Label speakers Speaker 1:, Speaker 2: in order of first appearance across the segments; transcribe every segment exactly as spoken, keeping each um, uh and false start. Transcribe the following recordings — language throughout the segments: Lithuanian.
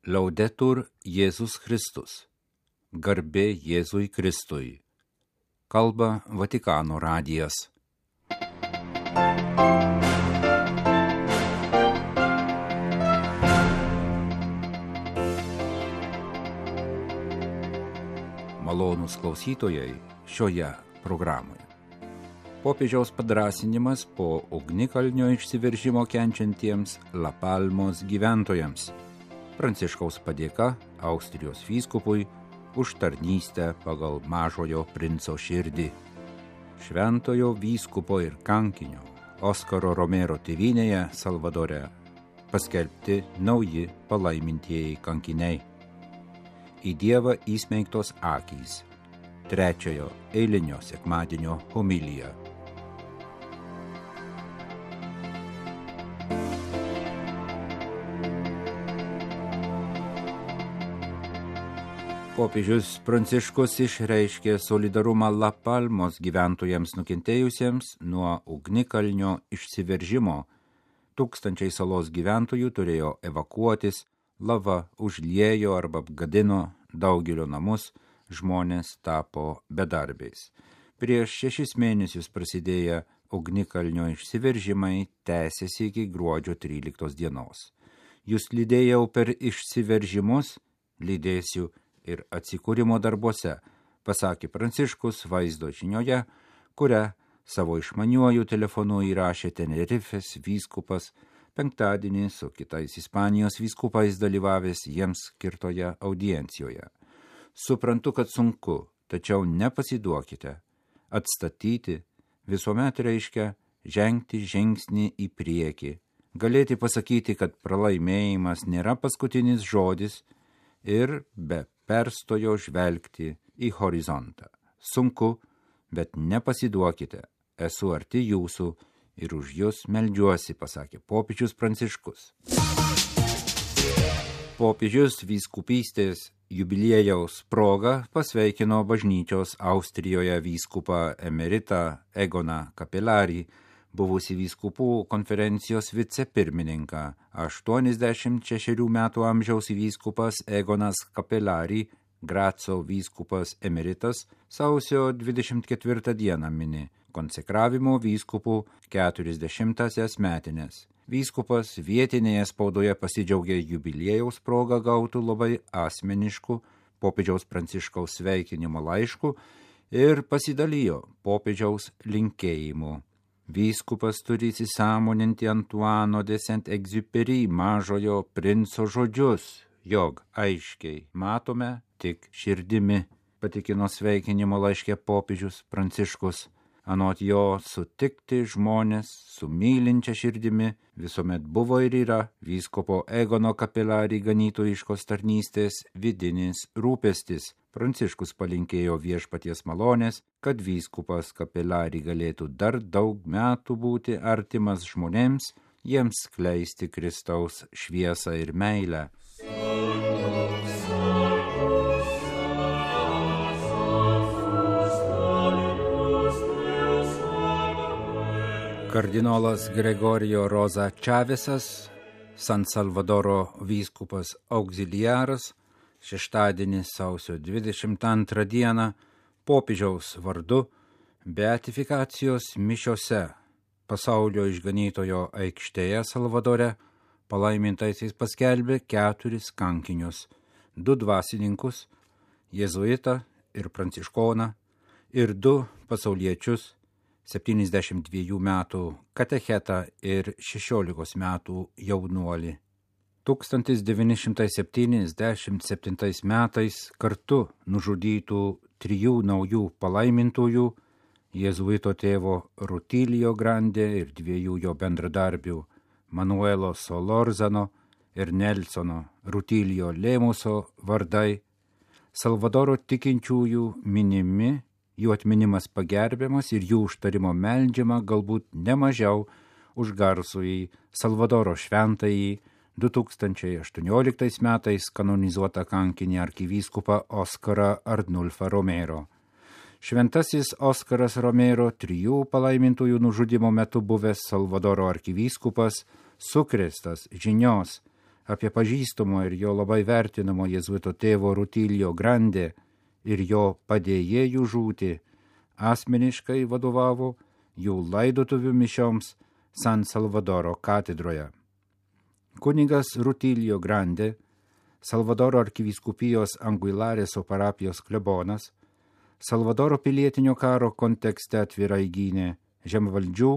Speaker 1: Laudetur Jėzus Kristus. Garbė Jėzui Kristui. Kalba Vatikano radijas. Malonūs klausytojai šioje programoje. Popiežiaus padrąsinimas po ugnikalnio išsiveržimo kenčiantiems La Palmos gyventojams. Pranciškaus padėka Austrijos vyskupui už tarnystę pagal mažojo princo širdį. Šventojo vyskupo ir kankinio Oskaro Romero tėvynėje Salvadore paskelbti nauji palaimintieji kankiniai. Į Dievą įsmeigtos akys. Trečiojo eilinio sekmadienio homilija. Popiežius Pranciškus išreiškė solidarumą La Palmos gyventojams nukentėjusiems nuo ugnikalnio išsiveržimo. Tūkstančiai salos gyventojų turėjo evakuotis, lava užliejo arba apgadino daugelio namus, žmonės tapo bedarbiais. Prieš šešis mėnesius prasidėję ugnikalnio išsiveržimai tęsėsi iki gruodžio tryliktos dienos. Jūs lydėjau per išsiveržimus, lydėsiu ir atsikūrimo darbuose, pasakė Pranciškus vaizdo žinioje, kurią savo išmaniuoju telefonu įrašė Tenerifės vyskupas penktadienį su kitais Ispanijos vyskupais dalyvavęs jiems skirtoje audiencijoje. Suprantu, kad sunku, tačiau nepasiduokite. Atstatyti visuomet reiškia žengti žingsnį į priekį. Galėti pasakyti, kad pralaimėjimas nėra paskutinis žodis ir be perstojo žvelgti į horizontą. Sunku, bet nepasiduokite. Esu arti jūsų ir už jūs meldžiuosi, pasakė popiežius Pranciškus. Popiežius vyskupystės jubiliejaus proga pasveikino bažnyčios Austrijoje vyskupą emeritą Egoną Capelari, buvusi vyskupų konferencijos vicepirmininką. aštuoniasdešimt šešerių metų amžiaus vyskupas Egonas Capelari, Graco vyskupas emeritas, sausio dvidešimt ketvirtą dieną mini konsekravimo vyskupų keturiasdešimtąsias metinės. Vyskupas vietinėje spaudoje pasidžiaugė jubiliejaus progą gautų labai asmeniškų popiežiaus Pranciškaus sveikinimo laiškų ir pasidalijo popiežiaus linkėjimu. Vyskupas turi įsisąmoninti Antuano de Saint-Exupéry mažojo princo žodžius, jog aiškiai matome tik širdimi, patikino sveikinimo laiške popiežius Pranciškus. Anot jo sutikti žmonės su mylinčia širdimi visuomet buvo ir yra vyskupo Egono Capelari ganytojiškos tarnystės vidinis rūpestis. Pranciškus palinkėjo viešpaties malonės, kad vyskupas Capelari galėtų dar daug metų būti artimas žmonėms, jiems skleisti Kristaus šviesą ir meilę. Kardinolas Gregorio Rosa Čavesas, San Salvadoro vyskupas auxiliaras, šeštadienį sausio dvidešimt antrą dieną popiežiaus vardu beatifikacijos mišiose pasaulio išganytojo aikštėje Salvadore palaimintaisiais paskelbė keturis kankinius, du dvasininkus, jėzuitą ir pranciškoną, ir du pasauliečius, septyniasdešimt dviejų metų katechetą ir šešiolikos metų jaunuolį. tūkstantis devyni šimtai septyniasdešimt septintais metais kartu nužudytų trijų naujų palaimintųjų, jėzuito tėvo Rutilio Grande ir dviejų jo bendradarbių Manuelo Solorzano ir Nelsono Rutilio Lemuso vardai, Salvadoro tikinčiųjų minimi, jų atminimas pagerbiamas ir jų užtarimo meldžiama galbūt nemažiau už garsųjį Salvadoro šventąjį du tūkstančiai aštuonioliktais metais kanonizuotą kankinį arkivyskupą Oskarą Arnulfą Romero. Šventasis Oskaras Romero, trijų palaimintųjų nužudymo metu buvęs Salvadoro arkivyskupas, sukrėstas žinios apie pažįstamo ir jo labai vertinamo jėzuito tėvo Rutilio Grande ir jo padėjėjų žūtį, asmeniškai vadovavo jų laidotuvių mišioms San Salvadoro katedroje. Kunigas Rutilio Grande, Salvadoro arkivyskupijos Anguilareso parapijos klebonas, Salvadoro pilietinio karo kontekste atvirai gynė žemvaldžių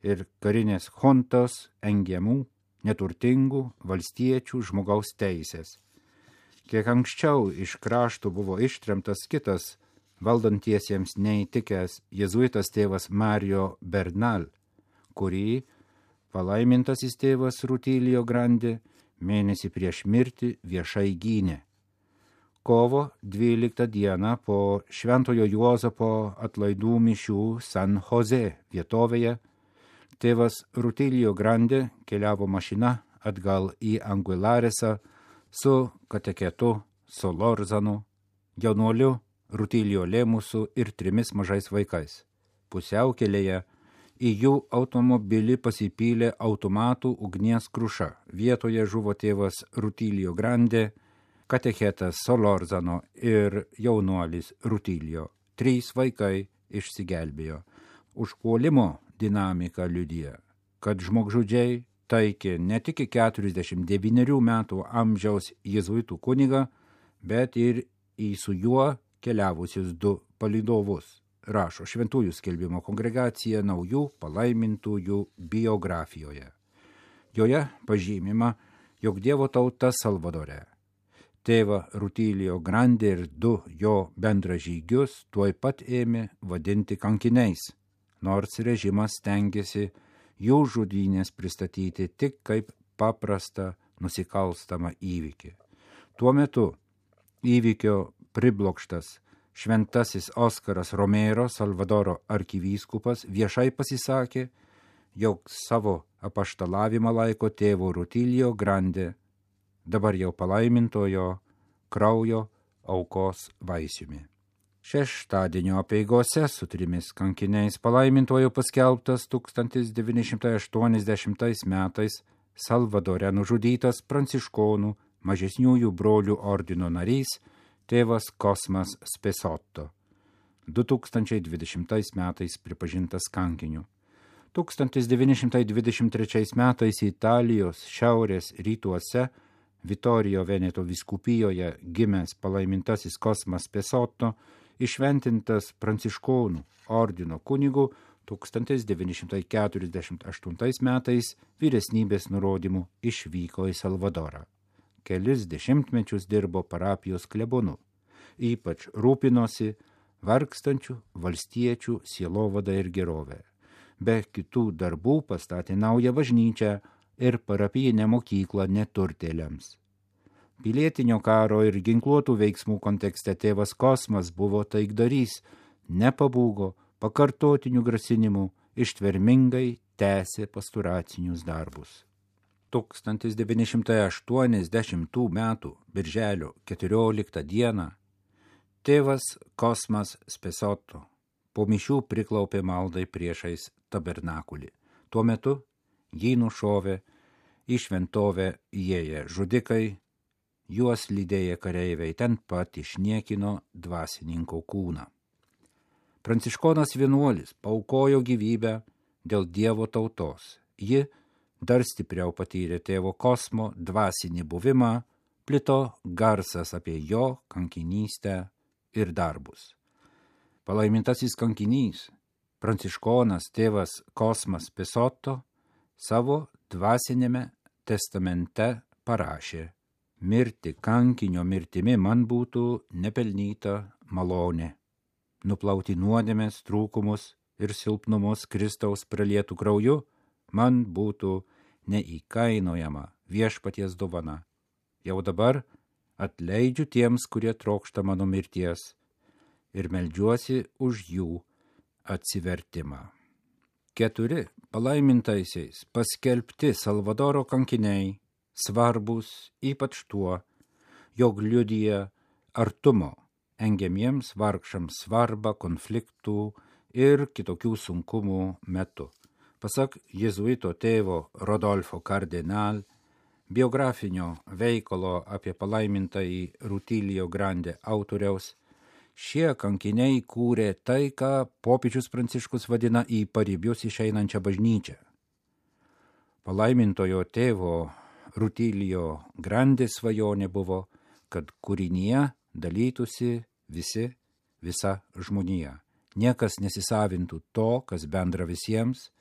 Speaker 1: ir karinės huntos engiamų, neturtingų valstiečių žmogaus teisės. Kiek anksčiau iš krašto buvo ištremtas kitas valdantiesiems neįtikęs jėzuitas tėvas Mario Bernal, kurį palaimintasis tėvas Rutilio Grande mėnesį prieš mirtį viešai gynė. Kovo dvyliktą dieną po Šventojo Juozapo atlaidų mišių San Jose vietovėje tėvas Rutilio Grande keliavo mašina atgal į Anguilaresą su kateketu Solorzanu, jaunuoliu Rutilio Lemusu ir trimis mažais vaikais. Pusiaukelėje į jų automobilį pasipylė automatų ugnies kruša. Vietoje žuvo tėvas Rutilio Grande, katechetas Solorzano ir jaunuolis Rutilio. Trys vaikai išsigelbėjo. Užpuolimo dinamika liudija, kad žmogžudžiai taikė ne tik keturiasdešimt devynerių metų amžiaus jėzuitų kunigą, bet ir į su juo keliavusius du palydovus, rašo Šventųjų skelbimo kongregacija naujų palaimintųjų biografijoje. Joje pažymima, jog Dievo tauta Salvadore tėvą Rutilio Grande ir du jo bendražygius tuoj pat ėmė vadinti kankiniais, nors režimas stengiasi jų žudynės pristatyti tik kaip paprastą nusikalstamą įvykį. Tuo metu įvykio priblokštas šventasis Oskaras Romero, Salvadoro arkivyskupas, viešai pasisakė, jog savo apaštalavimą laiko tėvo Rutilio Grande, dabar jau palaimintojo kraujo aukos vaisiumi. Šeštadienio apeigose su trimis kankiniais palaimintojo paskelbtas tūkstantis devyni šimtai aštuoniasdešimtais metais Salvadore nužudytas pranciškonų mažesniųjų brolių ordino narys tėvas Kosmas Spesotto, du tūkstančiai dvidešimtais metais pripažintas kankiniu. tūkstantis devyni šimtai dvidešimt trečiais metais Italijos šiaurės rytuose Vitorijo Veneto vyskupijoje gimęs palaimintasis Kosmas Spesotto išventintas pranciškonų ordino kunigu tūkstantis devyni šimtai keturiasdešimt aštuntais metais vyresnybės nurodymų išvyko į Salvadorą. Kelis dešimtmečius dirbo parapijos klebonu, ypač rūpinosi vargstančių valstiečių sielovada ir gerovė. Be kitų darbų pastatė naują bažnyčią ir parapijinę mokyklą neturtėliams. Pilietinio karo ir ginkluotų veiksmų kontekste tėvas Kosmas buvo taikdarys, nepabūgo, pakartotinių grasinimų, ištvermingai tęsė pastoracinius darbus. tūkstantis devyni šimtai aštuoniasdešimtų metų birželio keturioliktą dieną tėvas Kosmas Spesotto po mišių priklaupė maldai priešais tabernakulį. Tuo metu jį nušovė į šventovę įėję žudikai, juos lydėję kareiviai ten pat išniekino dvasininko kūną. Pranciškonas vienuolis paaukojo gyvybę dėl Dievo tautos. Ji dar stipriau patyrė tėvo Kosmo dvasinį buvimą, plito garsas apie jo kankinystę ir darbus. Palaimintasis kankinys, pranciškonas tėvas Kosmas Spesotto, savo dvasinėme testamente parašė: mirti kankinio mirtimi man būtų nepelnyta malonė. Nuplauti nuodėmės, trūkumus ir silpnumus Kristaus pralietų krauju man būtų neįkainojama viešpaties dovana. Jau dabar atleidžiu tiems, kurie trokšta mano mirties, ir meldžiuosi už jų atsivertimą. Keturi palaimintaisiais paskelbti Salvadoro kankiniai svarbus ypač tuo, jog liudija artumo engiamiems vargšams svarbą konfliktų ir kitokių sunkumų metu. Pasak jėzuito tėvo Rodolfo Kardinal, biografinio veikalo apie palaimintąjį Rutilio Grande autoriaus, šie kankiniai kūrė tai, ką popiežius Pranciškus vadina į paribius išeinančią bažnyčią. Palaimintojo tėvo Rutilio Grande svajonė buvo, kad kūrinyje dalytųsi visi, visa žmonija. Niekas nesisavintų to, kas bendra visiems,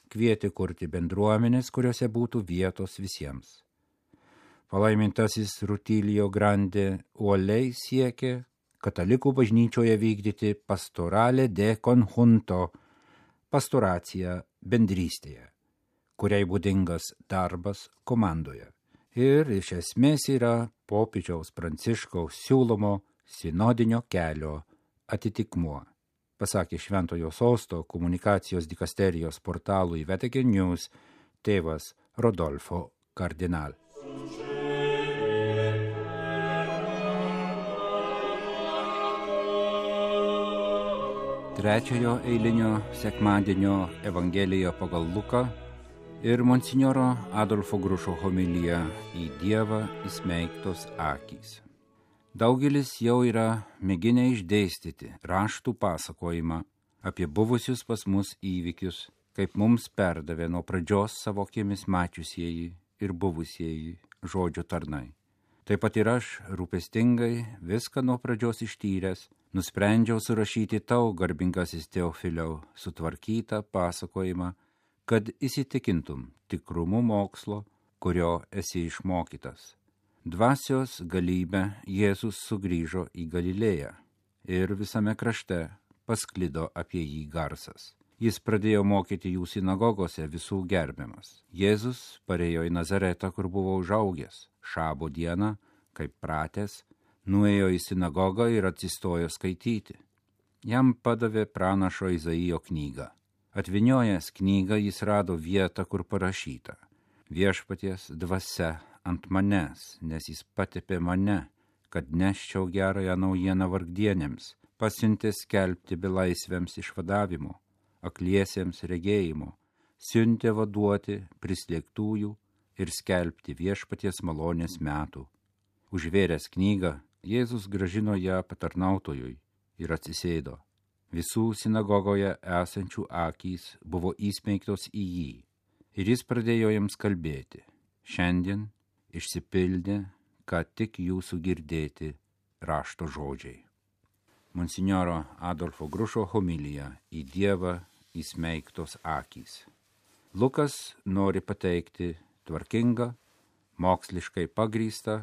Speaker 1: kvietė kurti bendruomenės, kuriuose būtų vietos visiems. Palaimintasis Rutilio Grande uoliai siekė katalikų bažnyčioje vykdyti pastorale de conjunto, pastoraciją bendrystėje, kuriai būdingas darbas komandoje. Ir iš esmės yra popiežiaus Pranciškaus siūlomo sinodinio kelio atitikmuo, pasakė Šventojo Sosto komunikacijos dikasterijos portalui Vatican News tėvas Rodolfo Kardinal. Trečiojo eilinio sekmadienio Evangelija pagal Luką ir monsinjoro Adolfo Grušo homilija į Dievą įsmeigtos akys. Daugelis jau yra mėginę išdėstyti raštų pasakojimą apie buvusius pas mus įvykius, kaip mums perdavė nuo pradžios savo akimis mačiusieji ir buvusieji žodžio tarnai. Taip pat ir aš, rūpestingai, viską nuo pradžios ištyręs, nusprendžiau surašyti tau, garbingasis Teofiliau, sutvarkytą pasakojimą, kad įsitikintum tikrumu mokslo, kurio esi išmokytas. Dvasios galybę Jėzus sugrįžo į Galilėją ir visame krašte pasklido apie jį garsas. Jis pradėjo mokyti jų sinagogose visų gerbiamas. Jėzus parėjo į Nazaretą, kur buvo užaugęs. Šabo dieną, kaip pratęs, nuėjo į sinagogą ir atsistojo skaityti. Jam padavė pranašo Izaijo knygą. Atvyniojęs knygą jis rado vietą, kur parašyta: Viešpaties dvasia ant manęs, nes jis patepė mane, kad neščiau gerąją naujieną vargdienėms, pasiuntė skelbti belaisviams išvadavimo, akliesiems regėjimo, siuntė vaduoti prislėgtųjų ir skelbti viešpaties malonės metų. Užvėręs knygą, Jėzus grąžino ją patarnautojui ir atsisėdo. Visų sinagogoje esančių akys buvo įsmeigtos į jį ir jis pradėjo jiems kalbėti: Šiandien išsipildė, ką tik jūsų girdėti rašto žodžiai. Monsinjoro Adolfo Grušo homilija į Dievą įsmeigtos akys. Lukas nori pateikti tvarkingą, moksliškai pagrįstą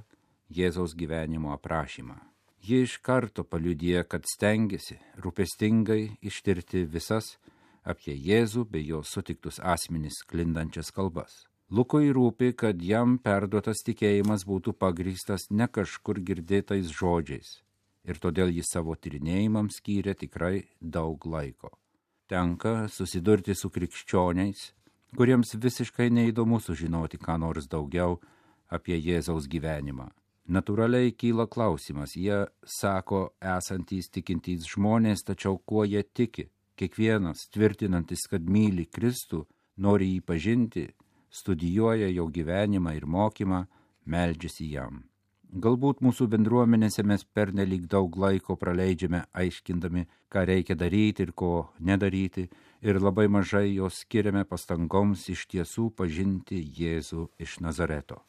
Speaker 1: Jėzaus gyvenimo aprašymą. Ji iš karto paliudija, kad stengiasi rūpestingai ištirti visas apie Jėzų bei jo sutiktus asmenis sklindančias kalbas. Lukui rūpi, kad jam perduotas tikėjimas būtų pagrįstas ne kažkur girdėtais žodžiais, ir todėl jis savo tyrinėjimams skyrė tikrai daug laiko. Tenka susidurti su krikščioniais, kuriems visiškai neįdomu sužinoti ką nors daugiau apie Jėzaus gyvenimą. Natūraliai kyla klausimas, jie sako esantys tikintys žmonės, tačiau kuo jie tiki? Kiekvienas, tvirtinantis, kad myli Kristų, nori jį pažinti, studijuoja jo gyvenimą ir mokymą, meldžiasi jam. Galbūt mūsų bendruomenėse mes pernelyg daug laiko praleidžiame aiškindami, ką reikia daryti ir ko nedaryti, ir labai mažai jos skiriame pastangoms iš tiesų pažinti Jėzų iš Nazareto.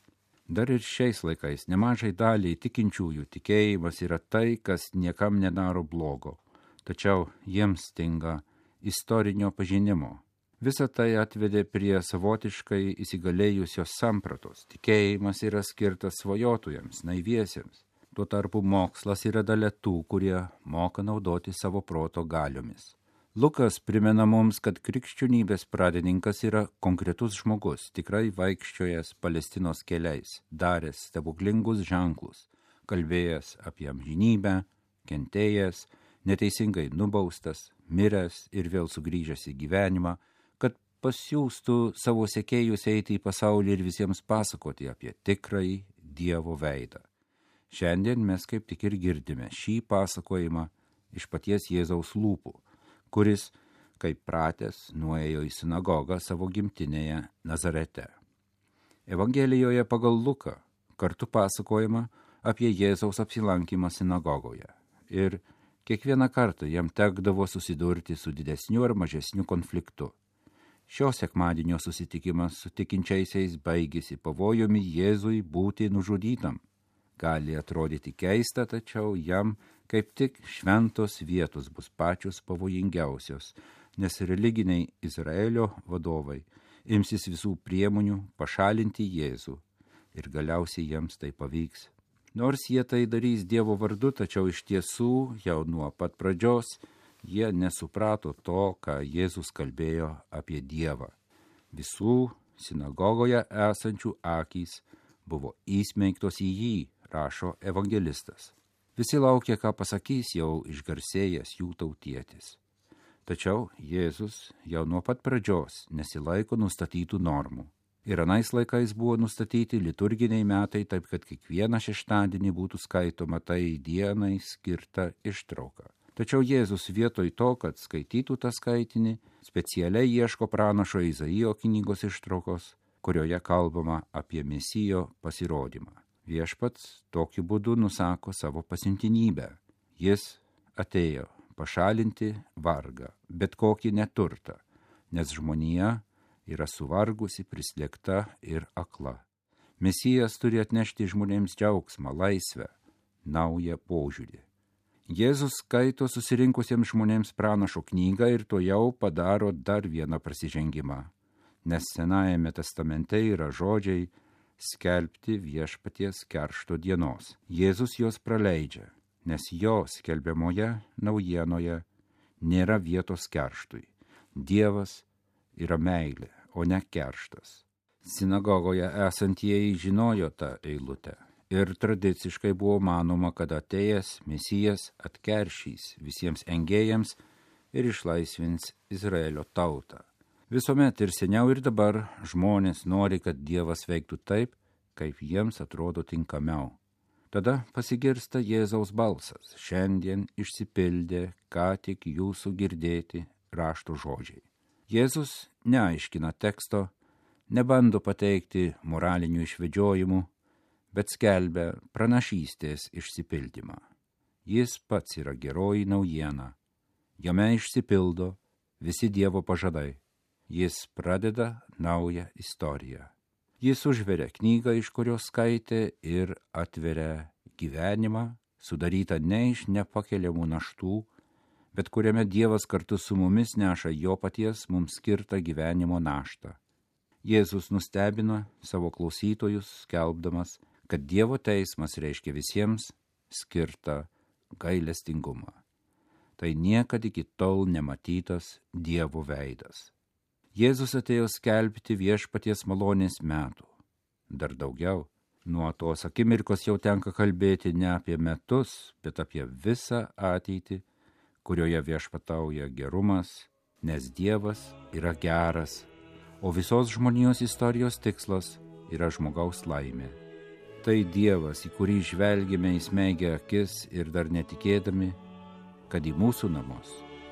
Speaker 1: Dar ir šiais laikais nemažai daliai tikinčiųjų tikėjimas yra tai, kas niekam nedaro blogo, tačiau jiems stinga istorinio pažinimo. Visa tai atvedė prie savotiškai įsigalėjusios sampratos. Tikėjimas yra skirtas svajotojams, naiviesiems. Tuo tarpu mokslas yra dalia tų, kurie moka naudoti savo proto galiomis. Lukas primena mums, kad krikščionybės pradininkas yra konkretus žmogus, tikrai vaikščiojęs Palestinos keliais, daręs stebuklingus ženklus, kalbėjęs apie amžinybę, kentėjęs, neteisingai nubaustas, miręs ir vėl sugrįžęs į gyvenimą, kad pasiųstų savo sekėjus eiti į pasaulį ir visiems pasakoti apie tikrąjį Dievo veidą. Šiandien mes kaip tik ir girdime šį pasakojimą iš paties Jėzaus lūpų, kuris, kaip pratęs, nuėjo į sinagogą savo gimtinėje Nazarete. Evangelijoje pagal Luką kartu pasakojama apie Jėzaus apsilankymą sinagogoje. Ir kiekvieną kartą jam tekdavo susidurti su didesniu ar mažesniu konfliktu. Šio sekmadienio susitikimas su tikinčiaisiais baigėsi pavojumi Jėzui būti nužudytam. Gali atrodyti keista, tačiau jam kaip tik šventos vietos bus pačios pavojingiausios, nes religiniai Izraelio vadovai imsis visų priemonių pašalinti Jėzų ir galiausiai jiems tai pavyks. Nors jie tai darys Dievo vardu, tačiau iš tiesų jau nuo pat pradžios jie nesuprato to, ką Jėzus kalbėjo apie Dievą. Visų sinagogoje esančių akys buvo įsmeigtos į jį, rašo evangelistas. Visi laukia, ką pasakys jau išgarsėjęs jų tautietis. Tačiau Jėzus jau nuo pat pradžios nesilaiko nustatytų normų. Ir anais laikais buvo nustatyti liturginiai metai, taip kad kiekvieną šeštadienį būtų skaitoma tai dienai skirta ištrauka. Tačiau Jėzus vietoj to, kad skaitytų tą skaitinį, specialiai ieško pranašo Izaijo knygos ištraukos, kurioje kalbama apie Mesijo pasirodymą. Viešpats tokiu būdu nusako savo pasiuntinybę. Jis atėjo pašalinti vargą, bet kokį neturtą, nes žmonija yra suvargusi, prislėgta ir akla. Mesijas turi atnešti žmonėms džiaugsmą, laisvę, naują požiūrį. Jėzus skaito susirinkusiems žmonėms pranašo knygą ir to jau padaro dar vieną prasižengimą, nes Senajame testamente yra žodžiai skelbti viešpaties keršto dienos. Jėzus juos praleidžia, nes jo skelbiamoje naujienoje nėra vietos kerštui. Dievas yra meilė, o ne kerštas. Sinagogoje esantieji žinojo tą eilutę ir tradiciškai buvo manoma, kad atėjęs Mesijas atkeršys visiems engėjams ir išlaisvins Izraelio tautą. Visuomet ir seniau ir dabar žmonės nori, kad Dievas veiktų taip, kaip jiems atrodo tinkamiau. Tada pasigirsta Jėzaus balsas. Šiandien išsipildė ką tik jūsų girdėti rašto žodžiai. Jėzus neaiškina teksto, nebando pateikti moralinių išvedžiojimų, bet skelbia pranašystės išsipildymą. Jis pats yra geroji naujiena. Jame išsipildo visi Dievo pažadai. Jis pradeda naują istoriją. Jis užveria knygą, iš kurios skaitė, ir atveria gyvenimą, sudarytą ne iš nepakeliamų naštų, bet kuriame Dievas kartu su mumis neša jo paties mums skirtą gyvenimo naštą. Jėzus nustebino savo klausytojus, skelbdamas, kad Dievo teismas reiškia visiems skirtą gailestingumą. Tai niekad iki tol nematytas Dievo veidas. Jėzus atėjo skelbti viešpaties malonės metų. Dar daugiau, nuo tos akimirkos jau tenka kalbėti ne apie metus, bet apie visą ateitį, kurioje viešpatauja gerumas, nes Dievas yra geras, o visos žmonijos istorijos tikslas yra žmogaus laimė. Tai Dievas, į kurį žvelgime įsmeigę akis ir dar netikėdami, kad į mūsų namus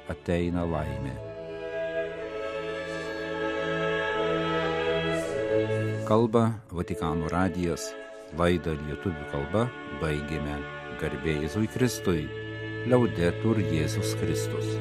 Speaker 1: ateina laimė. Kalba Vatikano radijas, laidą lietuvių kalba baigėme. Garbė Jėzui Kristui, Liaudetur Jėzus Kristus.